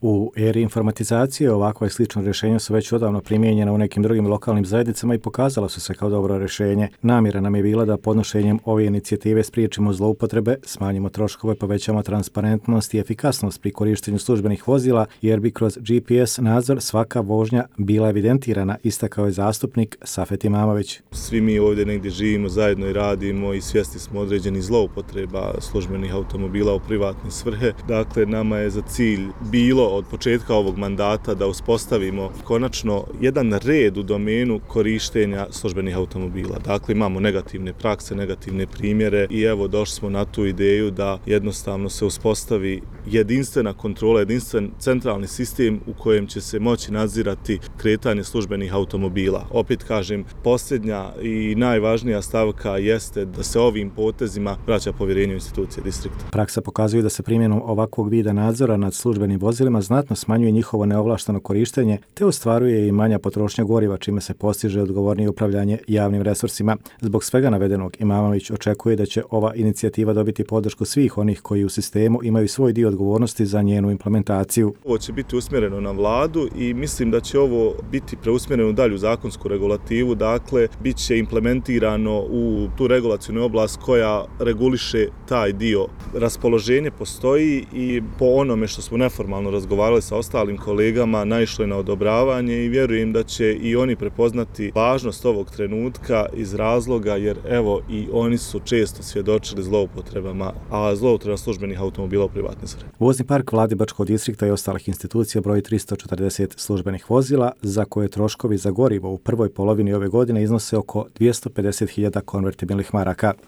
U eri informatizacije ovakva i slična rješenja su već odavno primijenjena u nekim drugim lokalnim zajednicama i pokazala su se kao dobro rješenje. Namjera nam je bila da podnošenjem ove inicijative spriječimo zloupotrebe, smanjimo troškove, povećamo transparentnost i efikasnost pri korištenju službenih vozila, jer bi kroz GPS nadzor svaka vožnja bila evidentirana, istakao je zastupnik Safet Imamović. Svi mi ovdje negdje živimo, zajedno i radimo i svjesni smo određenih zloupotreba službenih automobila u privatne svrhe. Dakle, nama je za cilj bilo od početka ovog mandata da uspostavimo konačno jedan red u domenu korištenja službenih automobila. Dakle, imamo negativne prakse, negativne primjere i evo došli smo na tu ideju da jednostavno se uspostavi jedinstvena kontrola, jedinstven centralni sistem u kojem će se moći nadzirati kretanje službenih automobila. Opet kažem, posljednja i najvažnija stavka jeste da se ovim potezima vraća povjerenje u institucije distrikta. Praksa pokazuje da se primjenom ovakvog vida nadzora nad službenim vozilima znatno smanjuje njihovo neovlašteno korištenje, te ostvaruje i manja potrošnja goriva, čime se postiže odgovornije upravljanje javnim resursima. Zbog svega navedenog, Imamović očekuje da će ova inicijativa dobiti podršku svih onih koji u sistemu imaju svoj dio odgovornosti za njenu implementaciju. Ovo će biti usmjereno na vladu i mislim da će ovo biti preusmjereno u dalju zakonsku regulativu, dakle, bit će implementirano u tu regulacijnu oblast koja reguliše taj dio. Raspoloženje postoji i po onome što smo neformalno razgovarali sa ostalim kolegama, naišlo je na odobravanje i vjerujem da će i oni prepoznati važnost ovog trenutka iz razloga jer evo i oni su često svjedočili zloupotrebama, a zloupotreba službenih automobila u privatne svrhe. Vozni park Vladibačkog distrikta i ostalih institucija broji 340 službenih vozila, za koje troškovi za gorivo u prvoj polovini ove godine iznose oko 250.000 konvertibilnih maraka.